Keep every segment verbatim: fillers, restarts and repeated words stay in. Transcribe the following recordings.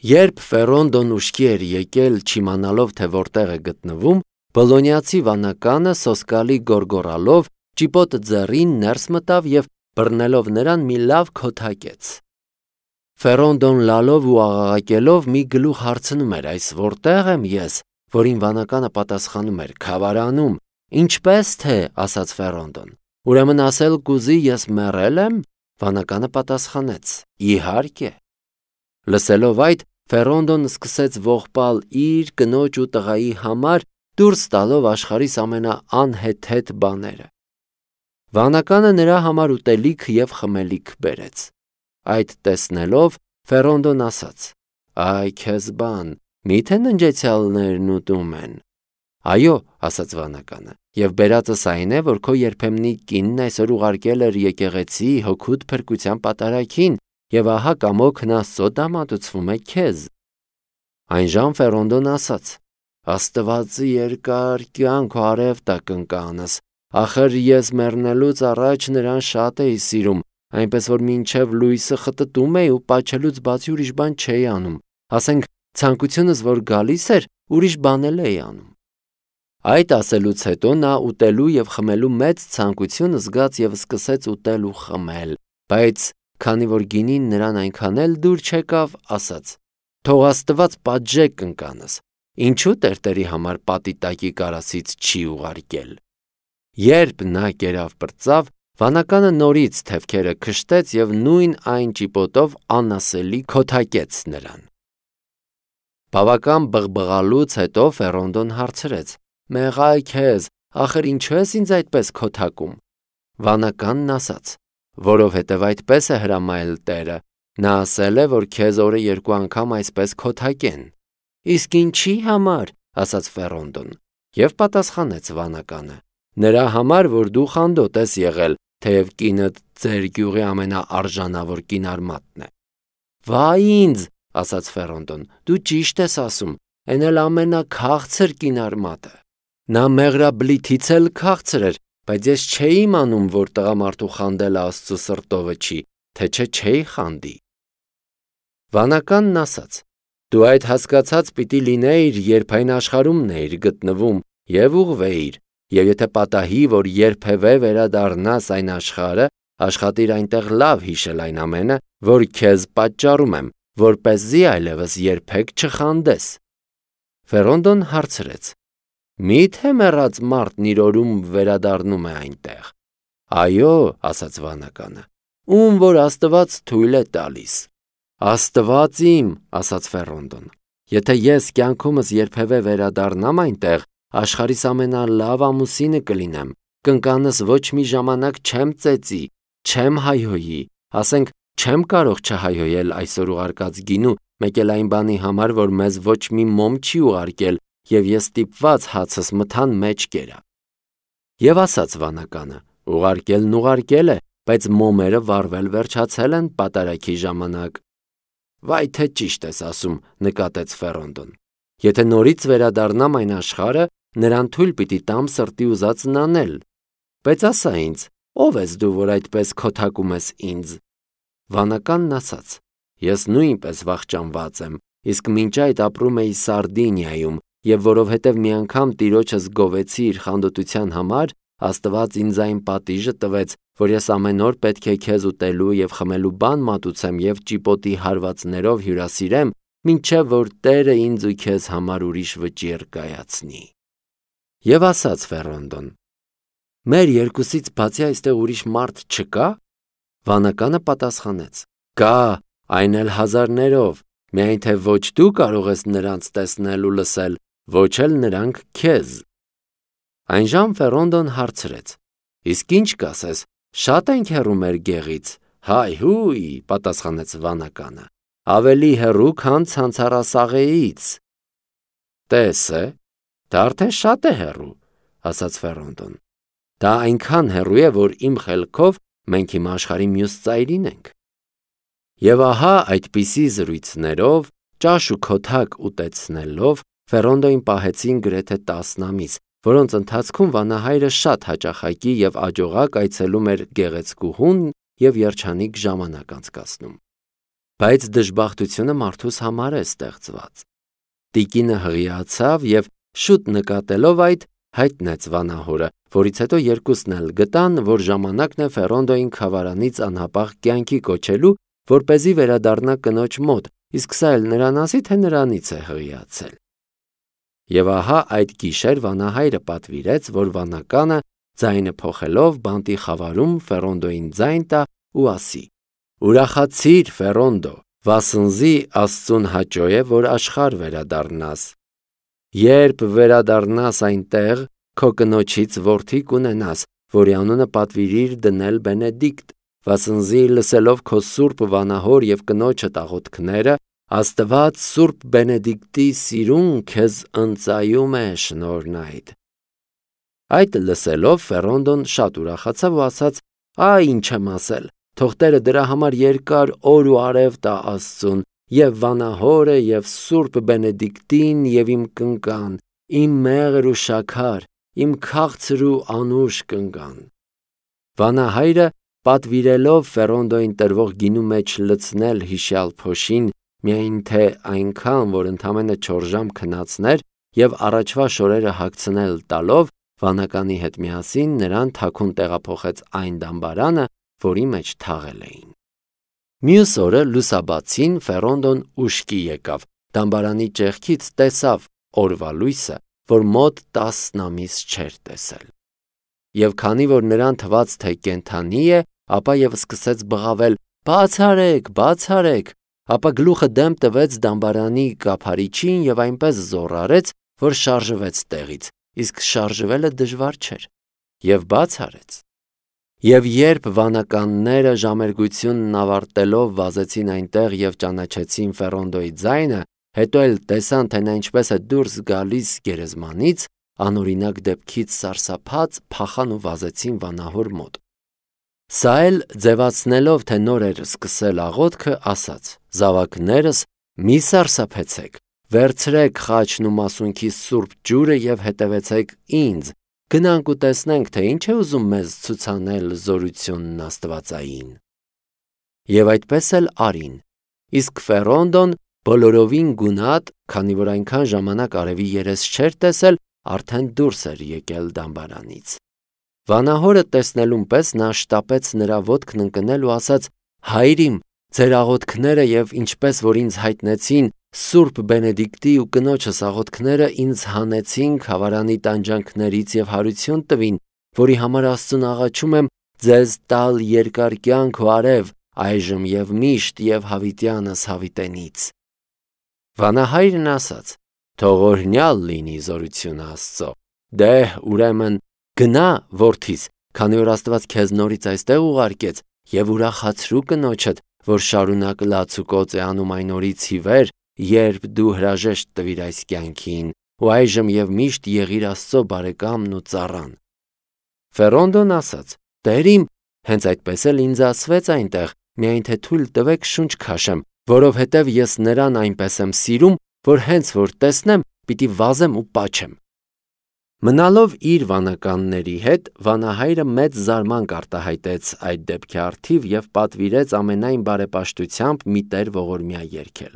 Երբ Ֆերոնդոն ուշքի էր եկել, չիմանալով, թե որտեղ է գտնվում, Բոլոնիացի վանականը սոսկալի գոռգոռալով ճիպոտը ձեռին ներս մտավ և բռնելով նրան մի լավ քոթակեց։ Ֆերոնդոն լալով ու աղաղակելով մի գլուխ հարցնում էր. «Այս որտե՞ղ եմ ես», որին վանականը պատասխանում էր. «Քավարանում»։ «Ինչպե՞ս թե», ասաց Ֆերոնդոն։ «Ուրեմն ասել կուզի ես մեռել եմ»։ Վանականը պատասխանեց. «Իհարկե»։ Լսելով այդ, Ֆերոնդոն սկսեց ողբալ իր, կնոջ ու տղայի համար, դուրս տալով աշխարհիս ամենաանհեթեթ բաները։ Վանականը նրա համար ուտելիք և խմելիք բերեց։ Այդ տեսնելով Ֆերոնդոն ասաց. «Այ քեզ բան, մի՞թե ննջեցյալներն ուտում են»։ «Այո», ասաց վանականը, «և բերածս այն է, որ քո երբեմնի կինն այսօր ուղարկել էր եկեղեցի հոգուդ փրկության պատարագին, և ահա կամոքն Աստծո դամադուցվում է քեզ»։ Այնժամ Ֆերոնդոն ասաց. «Աստվածի երկար կյանք ու արև տա կնկանս, ախր ես մեռնելուց առաջ նրան շատ էի սիրում, այնպես որ մինչև լույսը խտտում էի ու պաչելուց բացի ուրիշ բան չէի անում, ասենք ցանկությունս որ գալիս էր, ուրիշ բան էլ էի անում»։ Այդ ասելուց հետո նա ուտելու և խմելու մեծ ցանկություն զգաց և սկսեց ուտել ու խմել, բայց քանի որ գինին նրան այնքան էլ դուր չեկավ, ասաց. «Թող Աստված պատժե կնկանս, ինչու տերտերի համար պատի տակի կարասից չի ուղարկել»։ Երբ նա կերավ պրծավ, վանականը նորից թևքերը քշտեց և նույն այն ճիպոտով անասելի քոթակեց նրան։ Բավական բղբղալուց հետո Ֆերոնդոն հարցրեց. «Մեղա քեզ, ախր ինչու ես ինձ այդպես քոթակում»։ Վանականն ասաց. «Որովհետև այդպես է հրամայել Տերը, նա ասել է, որ քեզ օրը երկու անգամ այսպես քոթակեն»։ «Իսկ ինչի համար», ասաց Ֆերոնդոն, և պատասխանեց վանականը. «Նրա համար, որ դու խանդոտ ես եղել, թեև կինդ ձեր գյուղի ամենաարժանավոր կինարմատն է»։ «Վայ ինձ», ասաց Ֆերոնդոն, «դու ճիշտ ես ասում, էն էլ ամենաքաղցր կինարմատը։ Նա մեղրաբլիթից էլ քաղցր էր, բայց ես չէի իմանում, որ տղամարդու խանդելը Աստծու սրտովը չի, թե չէ չէի խանդի»։ Վանականն ասաց. «Դու այդ հասկացած պիտի լինեիր, երբ այն աշխարհումն էիր գտնվում, և ուղղվեիր, և եթե պատահի, որ երբևէ վերադառնաս այն աշխարհը, աշխատիր այնտեղ լավ հիշել այն ամենը, որ քեզ պատճառում եմ, որպեսզի այլևս երբեք չխանդես»։ Ֆերոնդոն հարցրեց. «Մի՞թե մեռած մարդն իր օրում վերադառնում է այնտեղ»։ «Այո», ասաց վանականը, «ում որ Աստված թույլ է տալիս»։ «Աստված իմ», ասաց Ֆերոնդոն, «եթե ես կյանքումս երբևէ վերադառնամ այնտեղ, աշխարհիս ամենալավ ամուսինը կլինեմ, կնկանս ոչ մի ժամանակ չեմ ծեծի, չեմ հայհոյի, ասենք չեմ կարող չհայհոյել այսօր ուղարկած գինու, մեկ էլ այն բանի համար, որ մեզ ոչ մի մոմ չի ուղարկել, և ես ստիպված հացս մթան մեջ կերա»։ Եվ ասաց վանականը. «Ուղարկելն ուղարկել է, բայց մոմերը վառվել վերջացել են պատարագի ժամանակ»։ «Վայ թե ճիշտ ես ասում», նկատեց Ֆերոնդոն։ «Եթե նորից վերադառնամ այն աշխարհը, նրան թույլ պիտի տամ սրտի ուզածն անել։ Բայց ասա ինձ, ո՞վ ես դու, որ այդպես քոթակում ես ինձ»։ Վանականն ասաց. «Ես նույնպես վախճանված եմ, իսկ մինչ այդ ապրում էի Սարդինիայում, և որովհետև մի անգամ տիրոջս գովեցի իր խանդոտության համար, Աստված ինձ այն պատիժը տվեց, որ ես ամեն օր պետք է քեզ ուտելու և խմելու բան մատուցեմ և ճիպոտի հարվածներով հյուրասիրեմ, մինչև որ Տերը ինձ ու քեզ համար ուրիշ վճիռ կայացնի»։ Եվ ասաց Ֆերոնդոն. «Մեր երկուսից բացի այստեղ ուրիշ մարդ չկա»։ Վանականը պատասխանեց. «Կա, այն էլ հազարներով, միայն թե ոչ դու կարող ես նրանց տեսնել ու լսել, ոչ էլ նրանք քեզ»։ Այնժամ Ֆերոնդոն հարցրեց. «Իսկ ի՞նչ կասես, շա՞տ ենք հեռու մեր գեղից»։ «Հայհույ», պատասխանեց վանականը, «ավելի հեռու, քան ցանցառասաղեից»։ «Տես է, դա արդեն շատ է հեռու», ասաց Ֆերոնդոն։ «Դա այնքան հեռու է, որ իմ խելքով մենք հիմա աշխարհի մյուս ծայրին ենք»։ Եվ ահա այդպիսի զրույցներով, ճաշ ու քոթակ ուտեցնելով, Ֆերոնդոին պահեցին գրեթե տասն ամիս, որոնց ընթացքում վանահայրը շատ հաճախակի և աջողակ այցելում էր գեղեցկուհուն և երջանիկ ժամանակ անցկացնում։ բայց դժբախտությունը մարդուս համար է ստեղծված։ Տիկինը հղիացավ և շուտ նկատելով այդ, հայտնեց վանահորը, որից հետո երկուսն էլ գտան, որ ժամանակն է Ֆերոնդոյին խավարանից անհապաղ կյանքի կոչելու, որպեսզի վերադառնա կնոջ մոտ, իսկ սա էլ նրան ասի, թե նրանից է հղիացել։ Եվ ահա այդ գիշեր վանահայրը պատվիրեց, որ վանականը ձայնը փոխելով բանտի խավարում Ֆերոնդոյին ձայն տա ու ասի. «Ուրախացիր, Ֆերոնդո, վասնզի Աստծուն հաճո է, որ աշխարհ վերադառնաս։ Երբ վերադառնաս այնտեղ, քո կնոջից որդի կունենաս, որի անունը պատվիրիր դնել Բենեդիկտ, վասնզի լսելով քո սուրբ վանահոր և կնոջդ աղոթքները, Աստված սուրբ Բենեդիկտի սիրուն քեզ ընծայում է շնորհն այդ»։ Այդ լսելով Ֆերոնդոն շատ ուրախացավ ու ասաց. «Այ ինչ եմ ասել, թող Տերը դրա համար երկար օր ու արև տա Աստծուն, և վանահորը, և սուրբ Բենեդիկտին, և իմ կնկան, իմ մեղր ու շաքար, իմ քաղցր ու անուշ կնկան»։ Վանահայրը պատվիրելով Ֆերոնդոյին տրվող գինու մեջ լցնել հիշյալ փոշին, միայն թե այնքան, որ ընդամենը չորս ժամ քնացներ, և առաջվա շորերը հագցնել տալով, վանականի հետ միասին նրան թաքուն տեղափոխեց այն դամբարանը, որի մեջ թաղել էին։ Մյուս օրը լուսաբացին Ֆերոնդոն ուշքի եկավ, դամբարանի ճեղքից տեսավ օրվա լույսը, որ մոտ տասն ամիս չէր տեսել։ Եվ քանի որ նրան թվաց, թե կենդանի է, ապա և սկսեց բղավել. «Բաց արեք, բաց արեք», ապա գլուխը դեմ տվեց դամբարանի կափարիչին և այնպես զոռ արեց, որ շարժվեց տեղից, իսկ շարժվելը դժվար չէր, և բաց արեց։ Եվ երբ վանականները ժամերգությունն ավարտելով վազեցին այնտեղ և ճանաչեցին Ֆերոնդոյի ձայնը, հետո էլ տեսան, թե նա ինչպես է դուրս գալիս գերեզմանից, անօրինակ դեպքից սարսափած փախան ու վազեցին վանահոր մոտ։ Սա էլ ձևացնելով, թե նոր էր սկսել աղոթքը, ասաց. «Զավակներս, մի սարսափեցեք, վերցրեք խաչն ու մասունքի սուրբ ջուրը և հետևեցեք ինձ, գնանք ու տեսնենք, թե ինչ է ուզում մեզ ցուցանել զորությունն աստվածային»։ Եվ այդպես էլ արին, իսկ Ֆերոնդոն բոլորովին գունատ, քանի որ այնքան ժամանակ արևի երես չէր տեսել, արդեն դուրս էր եկել դամբարանից։ Վանահորը տեսնելուն պես նա շտապեց նրա ոտքն ընկնել ու ասաց. «Հայր իմ, ձեր աղոթքները և ինչպես որ ինձ հայտնեցին սուրբ Բենեդիկտի ու կնոջս աղոթքները ինձ հանեցին խավարանի տանջանքներից և հարություն տվին, որի համար Աստծուն աղաչում եմ ձեզ տալ երկար կյանք ու արև, այժմ և միշտ և հավիտյանս հավիտենից»։ Վանահայրն ասաց. «Թող օրհնյալ լինի զորությունը Աստծո։ Դե՛հ, ուրեմն գնա, որդիս, քանի որ Աստված քեզ նորից այստեղ ուղարկեց, և ուրախացրու կնոջդ, որ շարունակ լաց ու կոծ է անում այն օրից ի վեր, երբ դու հրաժեշտ տվիր այս կյանքին, ու այժմ և միշտ եղիր Աստծո բարեկամն ու ծառան»։ Ֆերոնդոն ասաց. «Տեր իմ, հենց այդպես էլ ինձ ասվեց այնտեղ, միայն թե թույլ տվեք շունչ քաշեմ, որովհետև ես նրան այնպես եմ սիրում, որ հենց որ տեսնեմ, պիտի վազեմ ու պաչեմ»։ Մնալով իր վանականների հետ, վանահայրը մեծ զարմանք արտահայտեց այդ դեպքի առթիվ և պատվիրեց ամենայն բարեպաշտությամբ մի տեր ողորմյա երգել։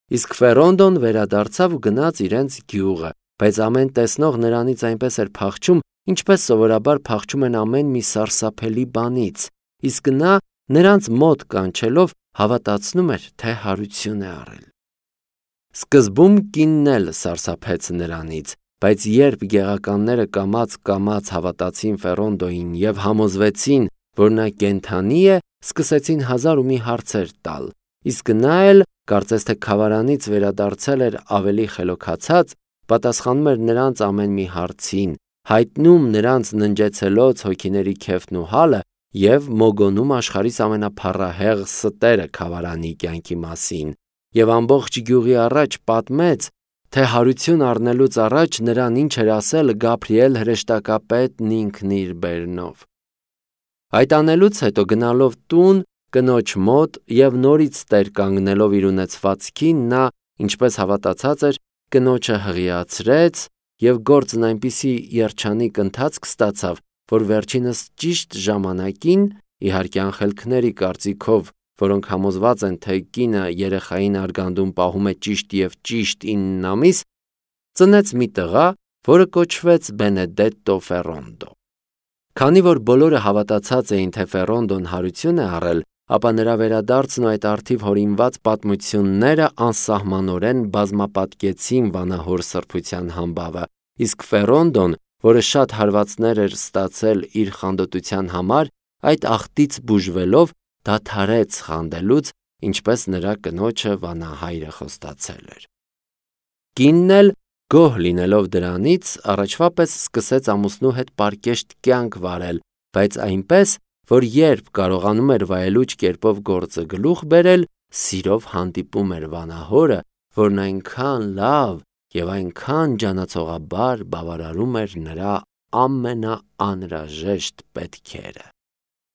Իսկ Ֆերոնդոն վերադարձավ ու գնաց իրենց գյուղը, բայց ամեն տեսնող նրանից այնպես էր փախչում, ինչպես սովորաբար փախչում են ամեն մի սարսափելի բանից, իսկ նա նրանց մոտ կանչելով հավատացնում էր, թե հարություն է առել։ Սկզբում կինն էլ սարսափեց նրանից, բայց երբ գեղականները կամաց-կամաց հավատացին Ֆերոնդոյին և համոզվեցին, որ նա կենդանի է, սկսեցին հազար ու մի հարցեր տալ, իսկ նա էլ, կարծես թե խավարանից վերադարձել էր ավելի խելոքացած, պատասխանում էր նրանց ամեն մի հարցին, հայտնում նրանց ննջեցելոց հոգիների քեֆն ու հալը և մոգոնում աշխարհիս ամենափառահեղ ստերը խավարանի կյանքի մասին, և ամբողջ գյուղի առաջ պատմեց, թե հարություն առնելուց առաջ նրան ինչ էր ասել Գաբրիել հրեշտակապետն ինքն իր բերնով։ Այդ անելուց հետո գնալով տուն կնոջ մոտ և նորից տեր կանգնելով իր ունեցվածքին, նա, ինչպես հավատացած էր, կնոջը հղիացրեց և գործն այնպիսի երջանիկ ընթացք ստացավ, որ վերջինս ճիշտ ժամանակին, իհարկե անխելքների կարծիքով որոնք համոզված են, թե կինը երեխային արգանդում պահում է ճիշտ և ճիշտ ինն ամիս, ծնեց մի տղա, որը կոչվեց Բենեդետտո Ֆերոնդո։ Քանի որ բոլորը հավատացած էին, թե Ֆերոնդոն հարություն է առել, ապա նրա վերադարձն ու այդ առթիվ հորինված պատմությունները անսահմանորեն բազմապատկեցին վանահոր սրբության համբավը, իսկ Ֆերոնդոն, որը շատ հարվածներ էր ստացել իր խանդոտության համար, այդ աղտից բուժվելով դադարեց խանդելուց, ինչպես նրա կնոջը վանահայրը խոստացել էր։ Կինն էլ, գոհ լինելով դրանից, առաջվա պես սկսեց ամուսնու հետ պարկեշտ կյանք վարել, բայց այնպես, որ երբ կարողանում էր վայելուչ կերպով գործը գլուխ բերել, սիրով հանդիպում էր վանահորը, որն այնքան լավ և այնքան ջանացողաբար բավարարում էր նրա ամենաանհրաժեշտ պետքերը։